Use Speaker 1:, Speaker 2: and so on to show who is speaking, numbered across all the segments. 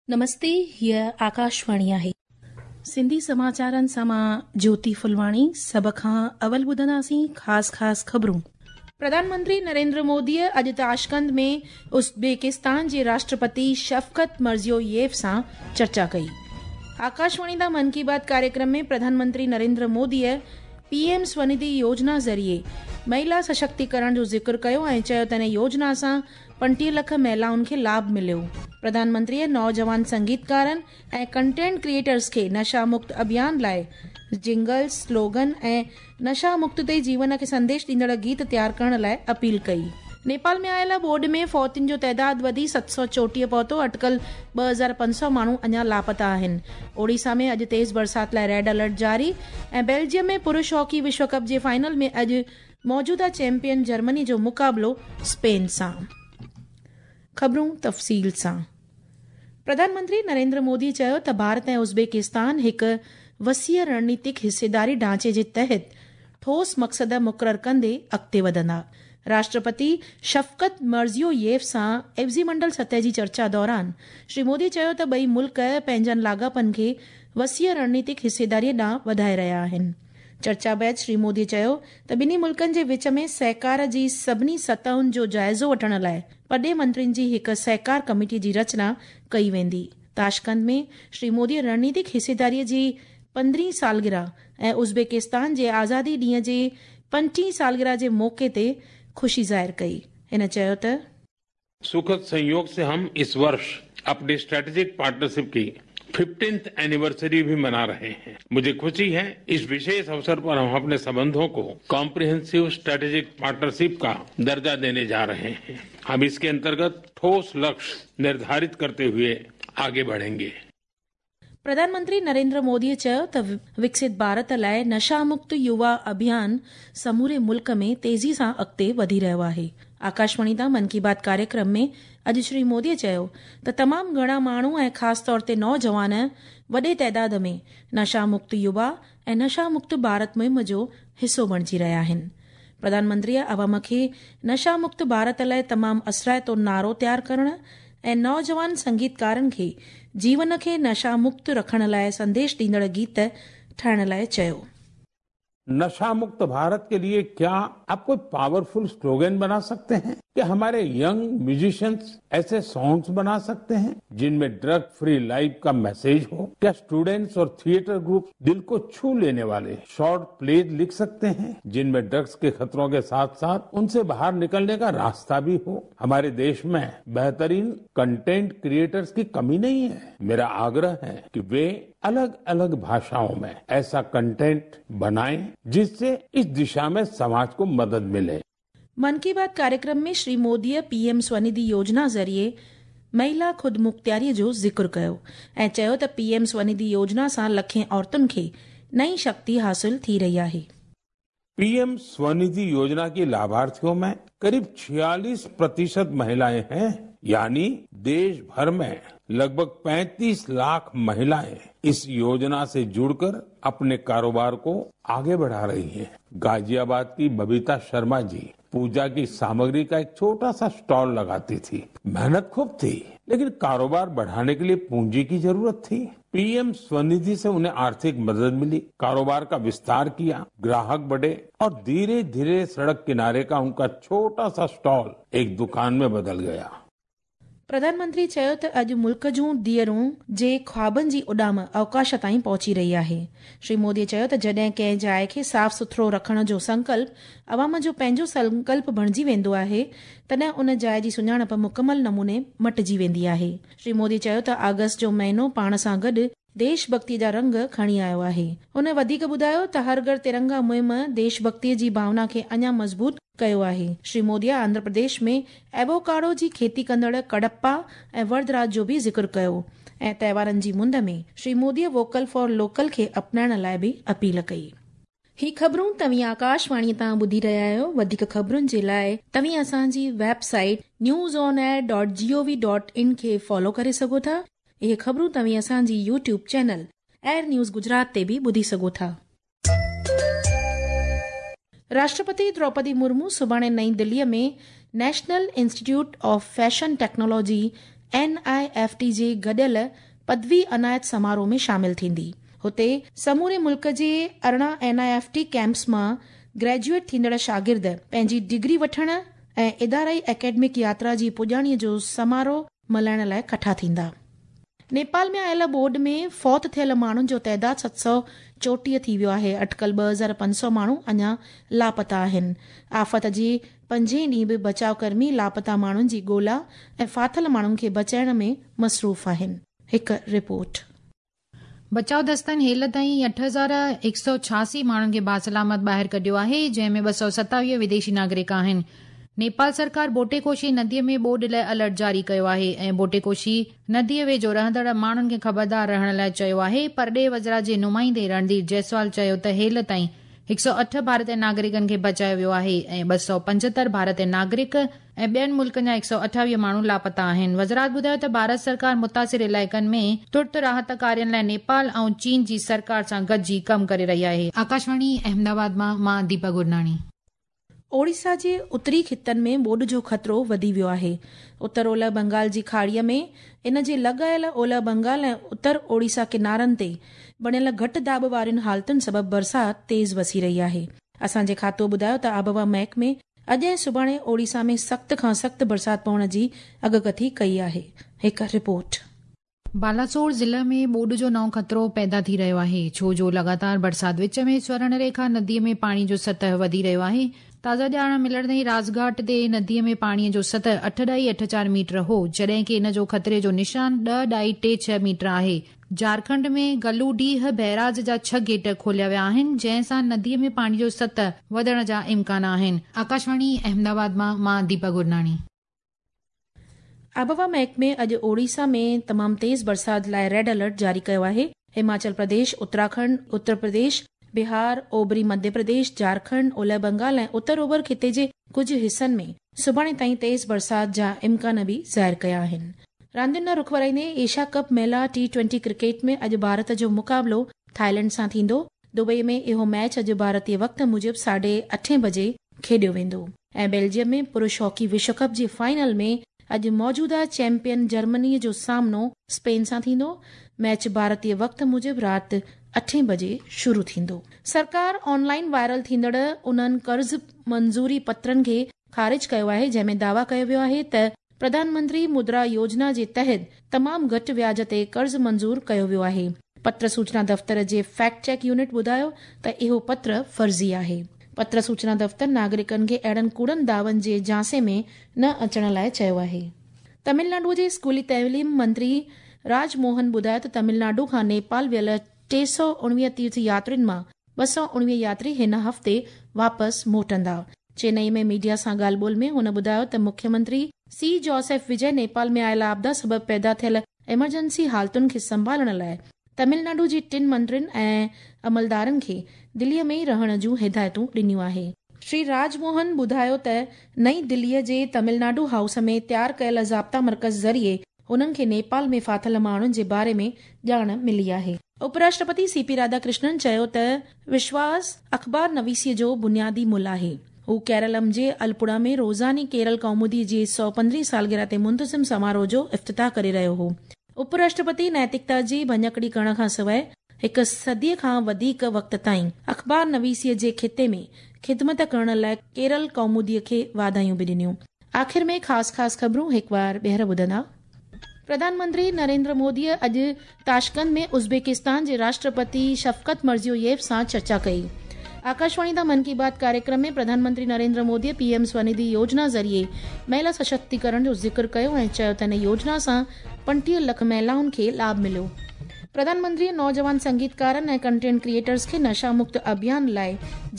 Speaker 1: نمستي هيء آڪاشواڻي آهي. سنڌي سماچارن سان مان جوتي ڦلواڻي سڀ کان اول ٻڌنداسين خاص خاص خبرون. پرڌان منتري نريندر موديء اڄ تاشقند ۾ ازبڪستان جي راشٽرپتي شفقت مرزيوييف سان چرچا ڪئي. آڪاشواڻي تان من ڪي بات ڪاريڪرم ۾ پرڌان منتري نريندر موديء پي ايم سونڌي يوجنا ذريعي مهلا سشڪتيڪرڻ جو ذڪر ڪيو ۽ چيو ته ان يوجنا سان 25 لک مهلائن کي لاڀ مليو. پرڌان منتريء نوجوان سنگيتڪارن ۽ ڪنٽينٽ ڪريئيٽرز کي نشا مڪت اڀيان لاء جنگلز، سلوگن ۽ نشا مڪت تي جيون کي سنديش ڏيندڙ گيت تيار ڪرڻ لاء اپيل ڪئي. نيپال ۾ آيل ٻوڏ ۾ فوتين جو تعداد وڌي 734 پهتو، اٽڪل 2500 ماڻهو اڃا لاپتا آهن. اوڙيسا ۾ اڄ تيز برسات لاء ريڊ الرٽ جاري ۽ بيلجيم ۾ پرش هاڪي وشو ڪپ جي فائنل ۾ اڄ موجوده چيمپيئن جرمني جو مقابلو اسپين سان. خبرون تفصيل سان پرڌان منتري نريندر مودي چيو ته ڀارت ۽ ازبڪستان هڪ وسيع رڻنيتڪ حصيداري ڍانچي جي تحت ٺوس مقصد مقرر ڪندي اڳتي وڌندا. راشٽرپتي شفقت مرزيوييف سان عيوضي منڊل سطح جي چرچا دوران شري مودي چيو ته ٻئي ملڪ پنهنجن لاڳاپن کي وسيع رڻنيتڪ حصيداري ڏانهن وڌائي رهيا آهن. چرچا بعد شري مودي چيو ته ٻنهي ملڪن جي وچ ۾ سهڪار جي سڀني سطحن جو جائزو وٺڻ لاء پرڏيهه منترين جي هڪ سهڪار ڪميٽي جي رچنا ڪئي ويندي. تاشقند ۾ شري مودي رڻنيتڪ حصيداري جي پندرهين سالگرهه ۽ ازبڪستان جي آزادي ڏينهن جي پنجٽيهين سالگرهه جي موقعي تي خوشي ظاهر ڪئي. هن چيو ته.
Speaker 2: सुखद संयोग से हम इस वर्ष अपनी स्ट्रेटेजिक पार्टनरशिप की फिफ्टींथ एनिवर्सरी भी मना रहे हैं। मुझे खुशी है, इस विशेष अवसर पर हम अपने संबंधों को कॉम्प्रिहेंसिव स्ट्रेटेजिक पार्टनरशिप का दर्जा देने जा रहे हैं। हम इसके अंतर्गत ठोस लक्ष्य निर्धारित करते हुए आगे बढ़ेंगे।
Speaker 1: پرڌان منتري نريندر مودي چيو ته وڪست ڀارت لاء نشا مڪت يووا اڀيان سموري ملڪ ۾ تيزي سان اڳتي وڌي رهيو آهي. آڪاشواڻي تان من ڪي بات ڪاريڪرم ۾ اڄ شري مودي چيو ته تمام گهڻا ماڻهو ۽ خاص طور تي نوجوان وڏي تعداد ۾ نشا مڪت يووا ۽ نشا مڪت ڀارت مهم جو حصو بڻجي رهيا آهن. پرڌان منتريء عوام کي نشا مڪت ڀارت لاء تمام اثرائتو نعرو تيار ڪرڻ ۽ نوجوان سنگيتڪارن کي جيون کي نشا مڪت رکڻ لاء سنديش ڏيندڙ گيت ٺاهڻ لاء چيو.
Speaker 2: नशा मुक्त भारत के लिए क्या आप कोई पावरफुल स्लोगन बना सकते हैं? क्या हमारे यंग म्यूजिशियंस ऐसे सॉन्ग्स बना सकते हैं जिनमें ड्रग फ्री लाइफ का मैसेज हो? क्या स्टूडेंट्स और थिएटर ग्रुप दिल को छू लेने वाले शॉर्ट प्लेज लिख सकते हैं जिनमें ड्रग्स के खतरों के साथ साथ उनसे बाहर निकलने का रास्ता भी हो? हमारे देश में बेहतरीन कंटेंट क्रिएटर्स की कमी नहीं है। मेरा आग्रह है कि वे अलग अलग भाषाओं में ऐसा कंटेंट बनाएं जिससे इस दिशा में समाज को मदद मिले।
Speaker 1: من ڪي بات ڪاريڪرم ۾ شري موديء پي ايم سونڌي يوجنا ذريعي مهلا خودمختياري جو ذڪر ڪيو ۽ چيو ته پي ايم سونڌي يوجنا سان لکين عورتن کي نئين شڪتي حاصل ٿي رهي آهي.
Speaker 2: पीएम स्वनिधि योजना की लाभार्थियों में करीब 46 प्रतिशत महिलाएं हैं, यानी देश भर में लगभग 35 लाख महिलाएं इस योजना से जुड़कर अपने कारोबार को आगे बढ़ा रही हैं। गाजियाबाद की बबीता शर्मा जी पूजा की सामग्री का एक छोटा सा स्टॉल लगाती थी। मेहनत खूब थी, लेकिन कारोबार बढ़ाने के लिए पूंजी की जरूरत थी। पीएम स्वनिधि से उन्हें आर्थिक मदद मिली, कारोबार का विस्तार किया, ग्राहक बढ़े और धीरे धीरे सड़क किनारे का उनका छोटा सा स्टॉल एक दुकान में बदल गया।
Speaker 1: پرڌان منتري چيو ته اڄ ملڪ جون ڌيئرون جي خوابن جي اڏام اوڪاش تائين پهچي رهي آهي. شري مودي چيو ته جڏهن ڪنهن جاء کي صاف سٿرو رکڻ جو سنڪلپ عوام جو پنهنجو سنڪلپ بڻجي ويندو آهي تڏهن ان جاء جي سڃاڻپ مڪمل نموني مٽجي ويندي آهي. شري مودي چيو ته آگسٽ جو مهينو پاڻ سان گڏ ديش ڀڳتي جا رنگ کڻي آيو آهي. هن وڌيڪ ٻڌايو ته هر گهر ترنگا مهم ديش ڀڳتي جي ڀاونا کي اڃا مضبوط ڪيو آهي. شري مودي آنڌرا پرديش ۾ ايووڪاڊو جي کيتي ڪندڙ ڪڙپا ۽ وردراج جو به ذڪر ڪيو ۽ تهوارن جي مند ۾ Shri Modi vocal for local کي اپنائڻ لاء به اپيل ڪئي. هي خبرون توهين آڪاشواڻي تان ٻڌي رهيا آهيو. وڌيڪ خبرن جي لاء توهين اسان جي website news on air dot G O V dot in کي فالو ڪري سگهو ٿا. اهي خبرون توهين اسان جي YouTube channel AIR news Gujarat تي به ٻڌي سگهو ٿا. راشٽرپتي دروپدي مرمو سڀاڻي نئين دلي ۾ national institute of fashion technology N I F T جي گڏيل پدوي عنايت سماروهه ۾ شامل ٿيندي. هتي سموري ملڪ جي 18 N I F T campus مان گريجوئيٽ ٿيندڙ شاگرد پنهنجي ڊگري وٺڻ ۽ ادارائي اڪيڊمڪ ياترا جي پڄاڻي جو سماروهه ملهائڻ لاء ڪٺا ٿيندا. نيپال ۾ آيل ٻوڏ ۾ فوت ٿيل ماڻهن جو تعداد 734 ٿي ويو آهي. اٽڪل 2500 ماڻهو اڃا لاپتا آهن. آفت جي پنجين ڏينهن به بچاء ڪرمي لاپتا ماڻهن جي ڳولا ۽ ڦاٿل ماڻهن کي بچائڻ ۾ مصروف آهن. هڪ رپورٽ.
Speaker 3: بچاء دستن هيل تائين 8186 ماڻهن کي باسلامت ٻاهر ڪڍيو آهي، جنهن ۾ 227 وديشي ناگرڪ آهن. نيپال سرڪار بوٽيڪوشي نديء ۾ ٻوڏ لاء الرٽ جاري ڪيو آهي ۽ بوٽيڪوشي نديء ويجهو رهندڙ ماڻهن کي خبردار رهڻ لاء چيو آهي. پرڏيهه وزارت جي نمائندي رڻڌير جئسوال چيو ته هيل تائين 108 ڀارتي ناگرڪن کي بچايو ويو آهي ۽ 275 ڀارتي ناگرڪ ۽ ٻين ملڪن جا 128 ماڻهو لاپتا آهن. وزارت ٻڌايو ته ڀارت سرڪار متاثر علائقن ۾ ترت راحت ڪارين لاء نيپال ۽ چين جي سرڪار سان گڏجي ڪم ڪري رهي آهي. آڪاشواڻي احمدآباد مان مان ديپا گرناڻي.
Speaker 1: اوڙيسا جي اتري خطن ۾ ٻوڏ جو خطرو وڌي ويو آهي. اتر اولهه بنگال جي کاڙيء ۾ ان جي لڳايل اولهه بنگال ۽ اتر اوڙيسا ڪنارن تي بڻيل گهٽ داٻ وارين حالتن سبب برسات تيز وسي رهي آهي. اسان جي کاتو ٻڌايو ته آبهوا محڪمي اڄ ۽ سڀاڻي اوڙيسا ۾ سخت کان سخت برسات پوڻ جي اڳڪٿي ڪئي آهي. هڪ رپورٽ.
Speaker 3: بالاسور ضلع ۾ ٻوڏ جو نئون خطرو پيدا ٿي رهيو آهي، ڇو جو لڳاتار برسات وچ ۾ سورڻ ريکا نديء ۾ پاڻي جو سطح وڌي رهيو آهي. تازا ڄاڻ ملڻ تائين رازگهاٽ تي نديء ۾ پاڻي جو سطح 8.84 ميٽر هو، جڏهن ڪي ان جو خطري جو نشان 10.36 ميٽر آهي. جهارکنڊ ۾ گلوڊيهه بئراج جا 6 گيٽ کوليا ويا آهن، جنهن سان نديء ۾ پاڻي جو سطح وڌڻ جا امڪان آهن. آڪاشواڻي احمدآباد مان مان ديپا گرناڻي.
Speaker 1: آبهوا محڪمي اڄ اوڙيسا ۾ تمام تيز برسات لاء ريڊ الرٽ جاري ڪيو آهي. هماچل پرديش، اتراکنڊ، اتر پرديش، بهار، اوڀري مڌيه پرديش، جهارکنڊ، اولهه بنگال ۽ اتر اوڀر خطي جي ڪجهه حصن ۾ سڀاڻي تائين تيز برسات جا امڪان به ظاهر ڪيا آهن. راندين ڏانهن رخ ورائيندي ايشيا ڪپ مهلا ٽي ٽوئنٽي ڪرڪيٽ ۾ اڄ ڀارت جو مقابلو ٿائيلينڊ سان ٿيندو. دبئي ۾ اهو ميچ اڄ ڀارتي وقت موجب ساڍي اٺين بجي کيڏيو ويندو. ۽ بيلجيم ۾ پرش هاڪي وشو ڪپ جي فائنل ۾ اڄ موجوده چيمپيئن جرمني جو سامنو اسپين سان ٿيندو. ميچ ڀارتي وقت موجب رات اٺين بجي شروع ٿيندو. سرڪار آن لائن وائرل ٿيندڙ انهن قرض منظوري پترن کي خارج ڪيو آهي جنهن ۾ دعويٰ ڪيو ويو آهي ته پرڌان منتري مدرا يوجنا جي تحت تمام گهٽ وياج تي قرض منظور ڪيو ويو آهي. پتر سوچنا دفتر جي فيڪٽ چيڪ يونٽ ٻڌايو ته اهو پتر فرضي آهي. پتر سوچنا دفتر ناگرڪن کي اهڙن ڪوڙن دعون جي جهانسي ۾ نه اچڻ لاء چيو آهي. تمل ناڊو جي اسڪولي تعليم منتري راج موهن ٻڌايو ته تمل ناڊو کان نيپال ويل 319 تيرٿ ياترين مان 219 ياتري هن هفتي واپس موٽندا. چينئي ۾ ميڊيا سان ڳالهه ٻولهه ۾ هن ٻڌايو ته مکيه منتري سي جوسيف وجي نيپال ۾ آيل آپدا سبب پيدا ٿيل ايمرجنسي حالتن کي سنڀالڻ لاء تمل ناڊو جي ٽن منترين ۽ عملدارن کي دليء ۾ ئي رهڻ جون هدايتون ڏنيون آهي. شري راج موهن ٻڌايو ته نئين دليء جي تمل ناڊو هائوس ۾ تيار ڪيل ضابطا مرڪز ذريعي هنن کي نيپال ۾ ڦاٿل ماڻهن جي باري ۾ ڄاڻ ملي آهي. اپراشٽرپتي سي پي راڌاڪرشنن چيو ته وشواس اخبار نويسيء جو بنيادي ملهه آهي. هو ڪيرلم جي الپوڙا ۾ روزاني ڪيرل ڪومودي جي 115 سالگرهه تي منتظم سماروهه جو افتتاح ڪري رهيو هو. اپراشٽرپتي نيتڪتا جي ڀڃڪڙي ڪرڻ کان سواء هڪ صديء کان وڌيڪ وقت تائين اخبار نويسيء جي خطي ۾ خدمت ڪرڻ لاء ڪيرل ڪوموديء کي واڌايون به ڏنيون. آخر ۾ خاص خاص خبرون هڪ وار ٻيهر ٻڌندا. پرڌان منتري نريندر موديء اڄ تاشقند ۾ ازبيڪستان جي راشٽرپتي شفقت مرزيوييف سان چرچا ڪئي. آڪاشواڻي تان من ڪي بات ڪاريڪرم ۾ پرڌان منتري نريندر موديء پي ايم سونيڌي يوجنا ذريعي مهلا سشڪتيڪرڻ جو ذڪر ڪيو ۽ چيو ته ان يوجنا سان 35 لک مهلائن کي لاڀ مليو. پرڌان منتريء نوجوان سنگيتڪارن ۽ ڪنٽينٽ ڪريئيٽرز کي نشا مڪت اڀيان لاء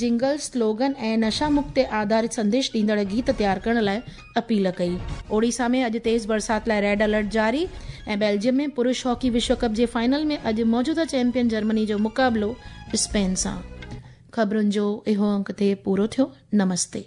Speaker 1: جنگل، سلوگن ۽ نشا مڪت تي آڌارت سنديش ڏيندڙ گيت تيار ڪرڻ لاء اپيل ڪئي. اوڙيسا ۾ اڄ تيز برسات لاء ريڊ الرٽ جاري ۽ بيلجيم ۾ پرش هاڪي وشو ڪپ جي فائنل ۾ اڄ موجوده چيمپيئن جرمني جو مقابلو اسپين سان. خبرن جو اهو انڪ تي پورو ٿيو. نمستي.